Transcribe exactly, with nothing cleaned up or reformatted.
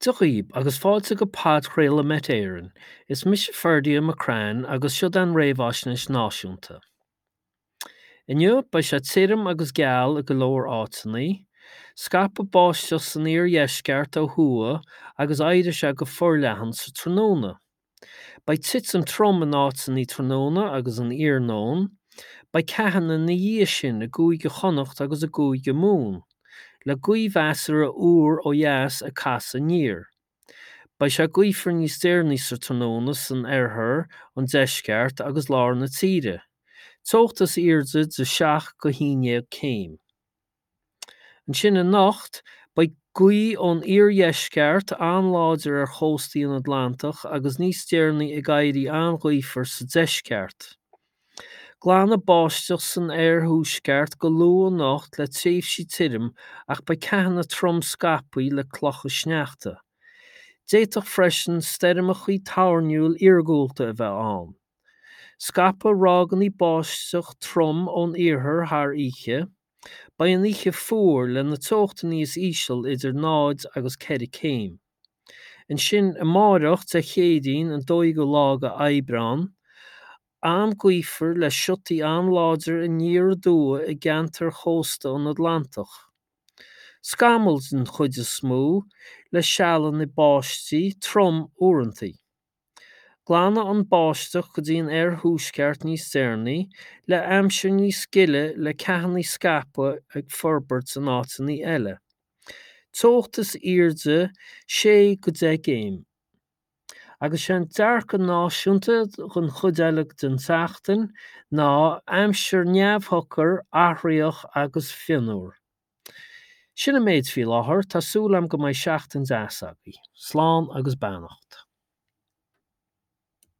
Dia dhaoib agus fáilte go podchraoladh Met Éireann. Is mise Ferdia McCrann agus siod an réamhaisnéis náisiúnta. Inniu beidh sé tirim agus geal i go leor áiteanna, scaipfidh báisteach san iardheisceart ó thuaidh agus éireoidh sé go forleathan sa tráthnóna. Beidh titim trom in áiteanna tráthnóna agus an iarnóin, beidh ceathanna ina dhiaidh sin i gCúige Chonnacht agus i gCúige Mumhan, le gaoth mheasartha úr ó dheas ag casadh aniar. Beidh sé gaofar níos deireanaí sa tráthnóna san oirthear, an deisceart agus lár na tíre. Teocht is airde de seacht go haon déag céim. Ansin anocht, beidh gaoth ón iardheisceart an-láidir ar chóstaí an Atlantach agus níos deireanaí ag éirí an-ghaofar sa deisceart. Glanfaidh báisteach san oirthuaisceart go luath anocht le tréimhsí tirim ach beidh ceathanna trom scaipthe le clocha sneachta. D'fhéadfadh freisin stoirmeacha toirniúil iargúlta a bheith ann. Scaipfidh ráigeanna báisteach trom ón iarthar thar oíche. Beidh an oíche fuar le na teochtaí is íseal idir náid agus ceithre céim. Ansin amárach Dé Céadaoin an dóú lá de Aibreán, an-ghaofar le siotaí an-láidir aniar aduaidh i gceantair chósta an Atlantach. Scamaill den chuid is mó le sealanna báistí trom uaireanta. Glanfaidh an báisteach go dtí an oirthuaisceart níos deireanaí, le aimsir níos gile le ceathanna scaipthe ag forbairt in áiteanna eile. Teocht is airde sé go deich gcéim. Agus sé an dearcadh náisiúnta don chuid eile den tseachtain ná aimsir neamhshocair, athraitheach agus fionnuar. Sin an méid faoi láthair, tá súil agam go mbeidh seachtain deas agaibh. Slán agus beannacht.